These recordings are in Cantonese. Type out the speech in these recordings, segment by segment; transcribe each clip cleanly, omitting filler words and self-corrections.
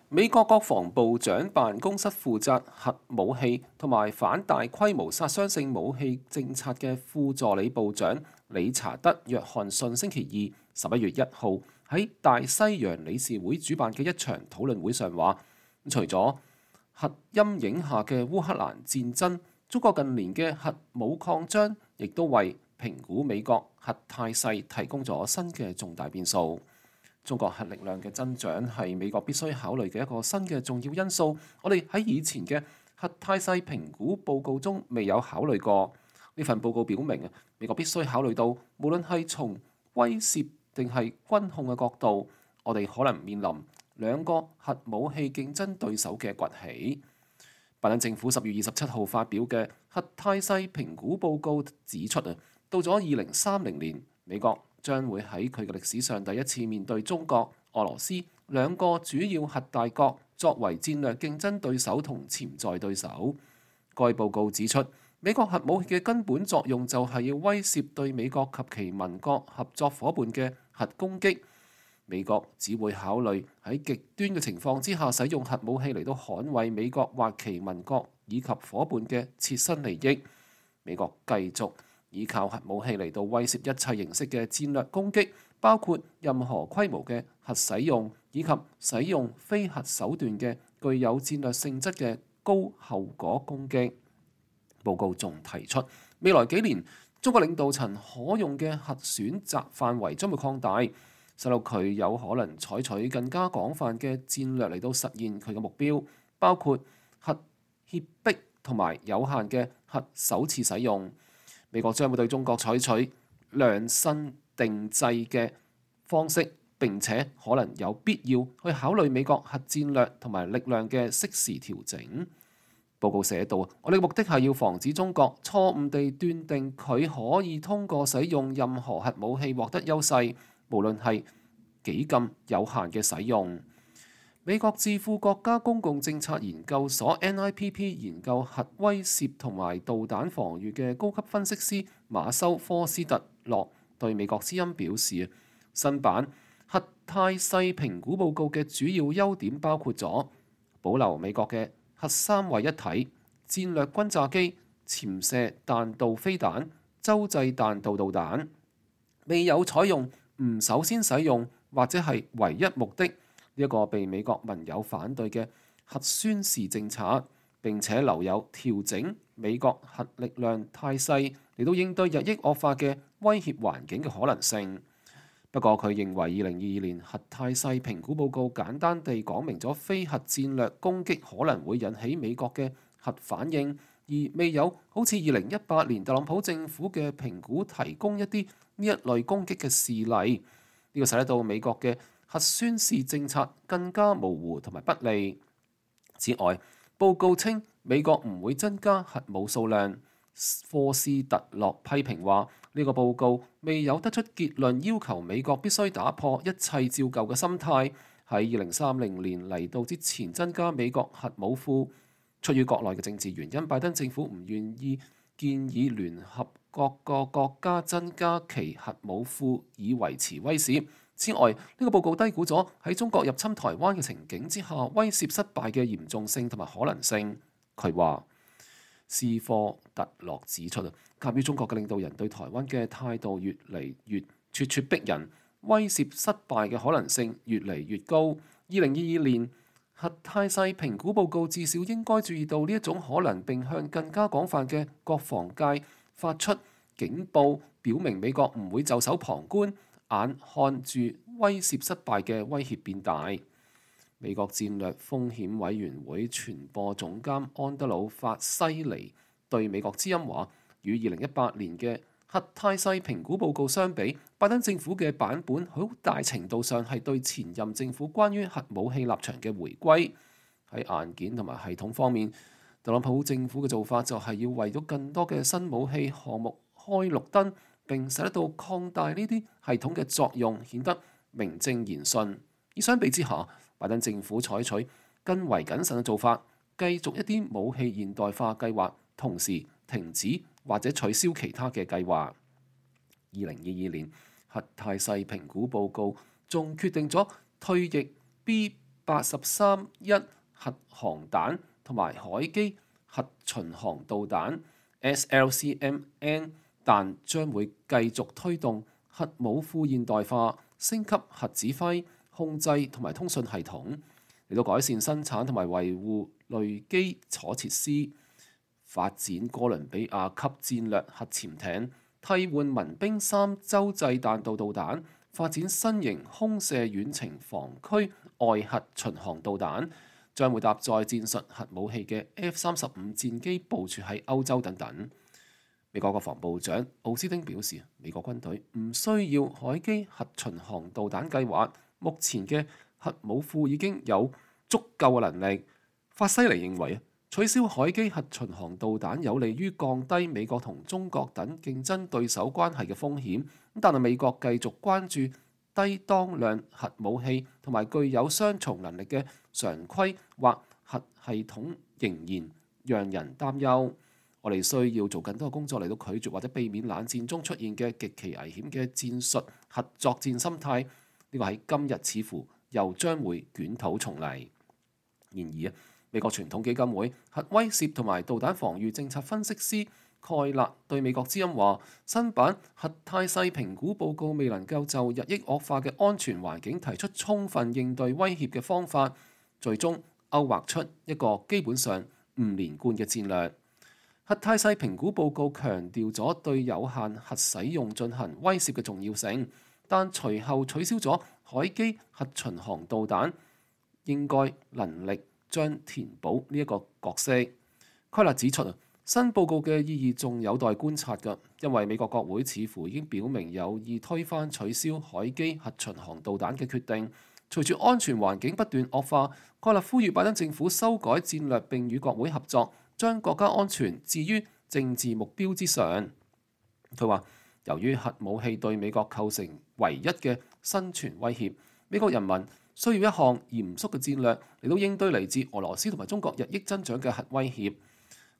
美國國防部長辦公室負責核武器同埋反大規模殺傷性武器政策嘅副助理部長理查德·約翰遜星期二11月1號喺大西洋理事會主辦嘅一場討論會上話，除咗核陰影下嘅烏克蘭戰爭，中國近年嘅核武擴張亦都為評估美國核態勢提供咗新嘅重大變數。中國核力量嘅增長係美國必須考慮嘅一個新嘅重要因素。我哋喺以前嘅核態勢評估報告中未有考慮過。呢份報告表明美國必須考慮到，無論係從威懾定係軍控嘅角度，我哋可能面臨兩個核武器競爭對手嘅崛起。拜登政府10月27號發表嘅核態勢評估報告指出到咗2030年，美國將會喺佢嘅歷史上第一次面對中國、俄羅斯兩個主要核大國作為戰略競爭對手同潛在對手。該報告指出，美國核武器嘅根本作用就係要威懾對美國及其盟國合作伙伴嘅核攻擊。美國只會考慮喺極端嘅情況之下使用核武器嚟到捍衛美國或其盟國以及伙伴嘅切身利益。美國繼續依靠核武器嚟到威懾一切形式嘅戰略攻擊，包括任何規模嘅核使用，以及使用非核手段嘅具有戰略性質嘅高後果攻擊。報告仲提出，未來幾年中國領導層可用嘅核選擇範圍將會擴大，使到佢有可能採取更加廣泛嘅戰略嚟到實現佢嘅目標，包括核脅迫同埋有限嘅核首次使用。美國將會對中國採取量身定制嘅方式，並且可能有必要去考慮美國核戰略同埋力量嘅適時調整。報告寫道，我哋嘅目的係要防止中國錯誤地斷定佢可以通過使用任何核武器獲得優勢，無論係幾咁有限嘅使用。美國智庫國家公共政策研究所 NIPP 研究核威懾同埋導彈防禦嘅高級分析師馬修科斯特洛對美國之音表示，新版核態勢評估報告嘅主要優點包括咗保留美國嘅核三位一體、戰略轟炸機、潛射彈道飛彈、洲際彈道導彈，未有採用唔首先使用或者係唯一目的呢一個被美國盟友反對嘅核宣示政策，並且留有調整美國核力量態勢嚟到應對日益惡化嘅威脅環境嘅可能性。不過佢認為2022年核態勢評估報告簡單地講明咗非核戰略攻擊可能會引起美國嘅核反應，而未有好似2018年特朗普政府嘅評估提供一啲呢一類攻擊嘅事例。呢個使得到美國嘅核宣示政策更加模糊同埋不利。此外，報告稱美國唔會增加核武數量。科斯特洛批評話，呢個報告未有得出結論，要求美國必須打破一切照舊嘅心態，喺2030年嚟到之前增加美國核武庫。出於國內嘅政治原因，拜登政府唔願意建議聯合各個國家增加其核武庫以維持威懾。此外，呢個報告低估咗喺中國入侵台灣嘅情景之下，威懾失敗嘅嚴重性同埋可能性。佢話，斯科特洛指出鑑於中國嘅領導人對台灣嘅態度越嚟越咄咄逼人，威懾失敗嘅可能性越嚟越高。2022年核態勢評估報告至少應該注意到呢一種可能，並向更加廣泛嘅國防界發出警報，表明美國唔會袖手旁觀，眼看住威懾失敗嘅威脅變大。美國戰略風險委員會傳播總監安德魯法西尼對美國之音話，與2018年嘅核態勢評估報告相比，拜登政府嘅版本好大程度上係對前任政府關於核武器立場嘅回歸。喺硬件同埋系統方面，特朗普政府嘅做法就係要為咗更多嘅新武器項目開綠燈，並使得到擴大呢啲系統嘅作用顯得名正言順。而相比之下，拜登政府採取更為謹慎嘅做法，繼續一啲武器現代化計劃，同時停止或者取消其他嘅計劃。2022年核態勢評估報告仲決定咗退役83-1核航彈同埋海基核巡航導彈 SLCMN， 但將會繼續推動核武庫現代化，升級核指揮、控制同埋通訊系統，嚟到改善生產同埋維護類基礎設施，發展哥倫比亞級戰略核潛艇，替換民兵3洲際彈道導彈，發展新型空射遠程防區外核巡航導彈，將會搭載戰術核武器嘅 F-35戰機部署喺歐洲等等。美國國防部長奧斯汀表示，美國軍隊唔需要海基核巡航導彈計劃，目前嘅核武庫已經有足夠嘅能力。法西尼認為，取消海基核巡航導彈有利於降低美國同中國等競爭對手關係嘅風險，但係美國繼續關注低當量核武器同埋具有雙重能力嘅常規或核系統仍然讓人擔憂。我哋需要做更多嘅工作嚟到拒絕或者避免冷戰中出現嘅極其危險嘅戰術核作戰心態。呢個喺今日似乎又將會捲土重嚟。然而美國傳統基金會核威懾同埋導彈防禦政策分析師蓋勒對美國之音話：新版核態勢評估報告未能夠就日益惡化嘅安全環境提出充分應對威脅嘅方法，最終勾畫出一個基本上唔連貫嘅戰略。核態勢評估報告強調咗對有限核使用進行威懾嘅重要性，但隨後取消咗海基核巡航導彈應該能力將填補呢一個角色。蓋勒指出，新報告嘅意義仲有待觀察㗎，因為美國國會似乎已經表明有意推翻取消海基核巡航導彈嘅決定。隨住安全環境不斷惡化，蓋勒呼籲拜登政府修改戰略並與國會合作，將國家安全置於政治目標之上。佢話，由於核武器對美國構成唯一嘅生存威脅，美國人民需要一項嚴肅嘅戰略嚟到應對嚟自俄羅斯同埋中國日益增長嘅核威脅。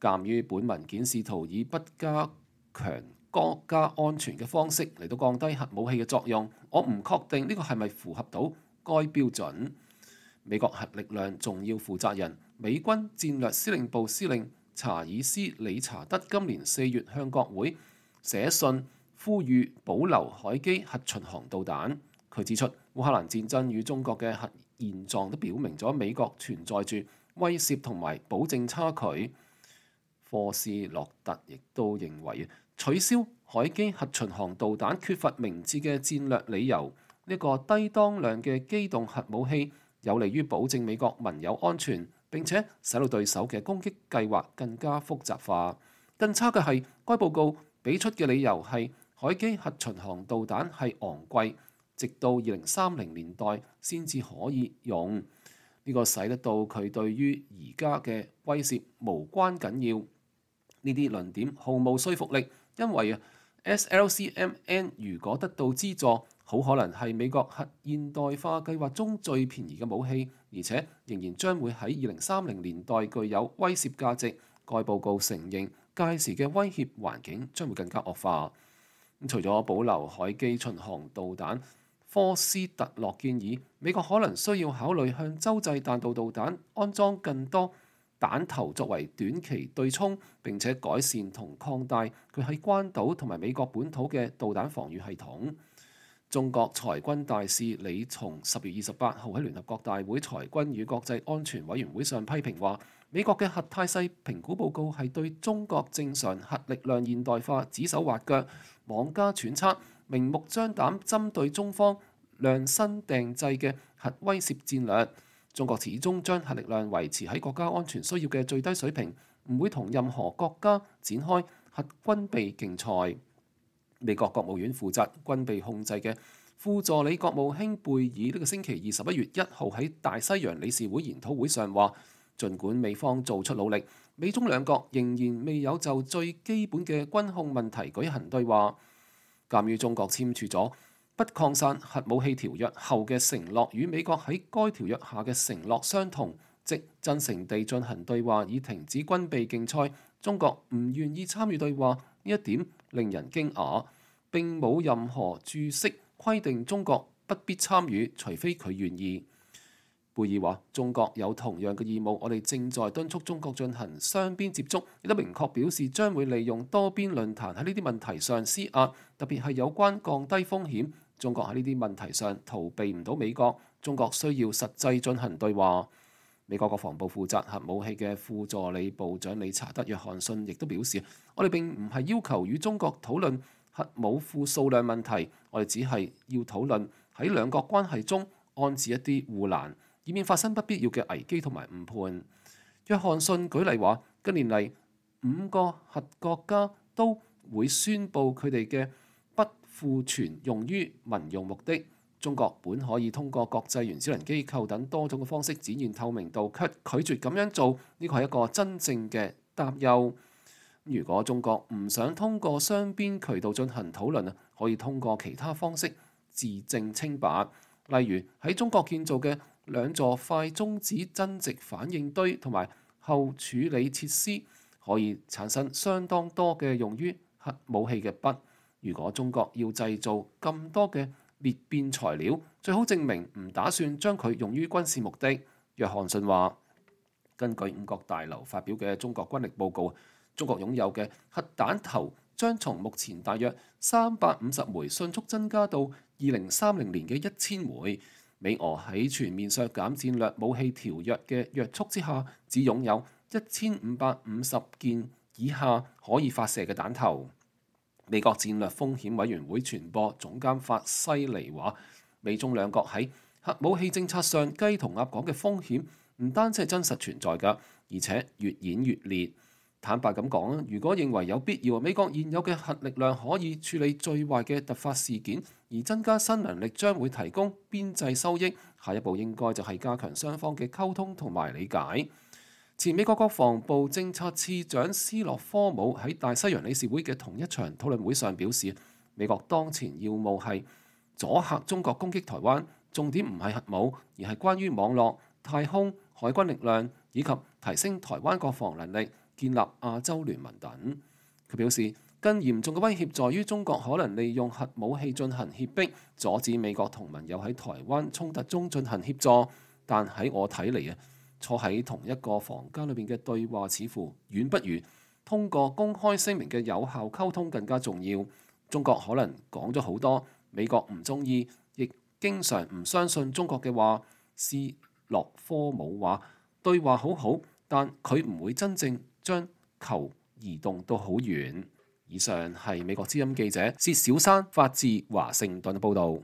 鑑於本文件試圖以不加強國家安全嘅方式嚟到降低核武器嘅作用，我唔確定呢個係咪符合到該標準。美國核力量重要負責人美軍戰略司令部司令查爾斯·理查德今年4月向國會寫信呼籲保留海基核巡航導彈。佢指出，烏克蘭戰爭與中國嘅核現狀都表明咗美國存在住威懾同埋保證差距。科斯洛特亦都認為，取消海基核巡航導彈缺乏明智嘅戰略理由。呢個低當量嘅機動核武器有利於保證美國盟友安全，並且使到對手嘅攻擊計劃更加複雜化。更差嘅係，該報告俾出嘅理由係海基核巡航導彈係昂貴，直到2030年代先至可以用。呢個使得到佢對於而家嘅威懾無關緊要。呢啲論點毫無說服力，因為SLCMN 如果得到資助，好可能係美國核現代化計劃中最便宜嘅武器，而且仍然將會喺2030年代具有威懾價值。該報告承認屆時嘅威脅環境將會更加惡化。除咗保留海基巡航導彈，科斯特洛建議美國可能需要考慮向洲際彈道導彈安裝更多彈頭作為短期對沖，並且改善同擴大佢喺關島同埋美國本土嘅導彈防禦系統。中國裁軍大使李松10月28號喺聯合國大會裁軍與國際安全委員會上批評話，美國嘅核態勢評估報告係對中國正常核力量現代化指手畫腳、妄加揣測、明目張膽針對中方量身訂製嘅核威懾戰略。中國始終將核力量維持喺國家安全需要嘅最低水平，唔會同任何國家展開核軍備競賽。美國國務院負責軍備控制嘅副助理國務卿貝爾呢個星期11月1號喺大西洋理事會研討會上話，儘管美方做出努力，美中兩國仍然未有就最基本嘅軍控問題舉行對話。鑑於中國簽署咗不擴散核武器條約後嘅承諾與美國喺該條約下嘅承諾相同，即真誠地進行對話以停止軍備競賽，中國唔願意參與對話，呢一點令人驚訝。並冇任何註釋規定中國不必參與，除非佢願意。貝貝爾話：中國有同樣嘅義務，我哋正在敦促中國進行雙邊接觸，亦都明確表示將會利用多邊論壇喺呢啲問題上施壓，特別係有關降低風險。中國喺呢啲問題上逃避唔到美國，中國需要實際進行對話。美國國防部負責核武器嘅副助理部長理查德·約翰遜亦都表示：我哋並唔係要求與中國討論核武庫數量問題，我哋只係要討論喺兩國關係中安置一啲護欄，以免發生不必要嘅危機同埋誤判。約翰遜舉例話：近年嚟5個核國家都會宣佈佢哋嘅不庫存用於民用目的。中國本可以通過國際原子能機構等多種嘅方式展現透明度，卻拒絕咁樣做，呢個係一個真正嘅擔憂。如果中國唔想通過雙邊渠道進行討論，可以通過其他方式自證清白，例如喺中國建造嘅2座快中子增值反應堆同埋後處理設施，可以產生相當多嘅用於核武器嘅鈈。如果中國要製造咁多嘅裂變材料，最好證明唔打算將佢用於軍事目的。約翰遜話：根據五角大樓發表嘅中國軍力報告，中國擁有嘅核彈頭將從目前大約350枚迅速增加到2030年嘅1000枚。美俄喺全面削減戰略武器條約嘅約束之下，只擁有1550件以下可以發射嘅彈頭。美國戰略風險委員會傳播總監法西尼話：美中兩國喺核武器政策上雞同鴨講嘅風險唔單止係真實存在㗎，而且越演越烈。坦白咁講，如果認為有必要，美國現有嘅核力量可以處理最壞嘅突發事件，而增加新能力將會提供邊際收益。下一步應該就係加強雙方嘅溝通同埋理解。前美國國防部政策次長斯洛科姆喺大西洋理事會嘅同一場討論會上表示，美國當前要務係阻嚇中國攻擊台灣，重點唔係核武，而係關於網絡、太空、海軍力量以及提升台灣國防能力、建立亞洲聯盟等。佢表示，更嚴重嘅威脅在於中國可能利用核武器進行脅迫，阻止美國同盟友喺台灣衝突中進行協助。但喺我睇嚟坐喺同一個房間裏邊嘅對話，似乎遠不如通過公開聲明嘅有效溝通更加重要。中國可能講咗好多美國唔中意，亦經常唔相信中國嘅話。斯洛科姆話：對話好好，但佢唔會真正將球移動到好遠。以上係美國之音記者薛小山發自華盛頓嘅報導。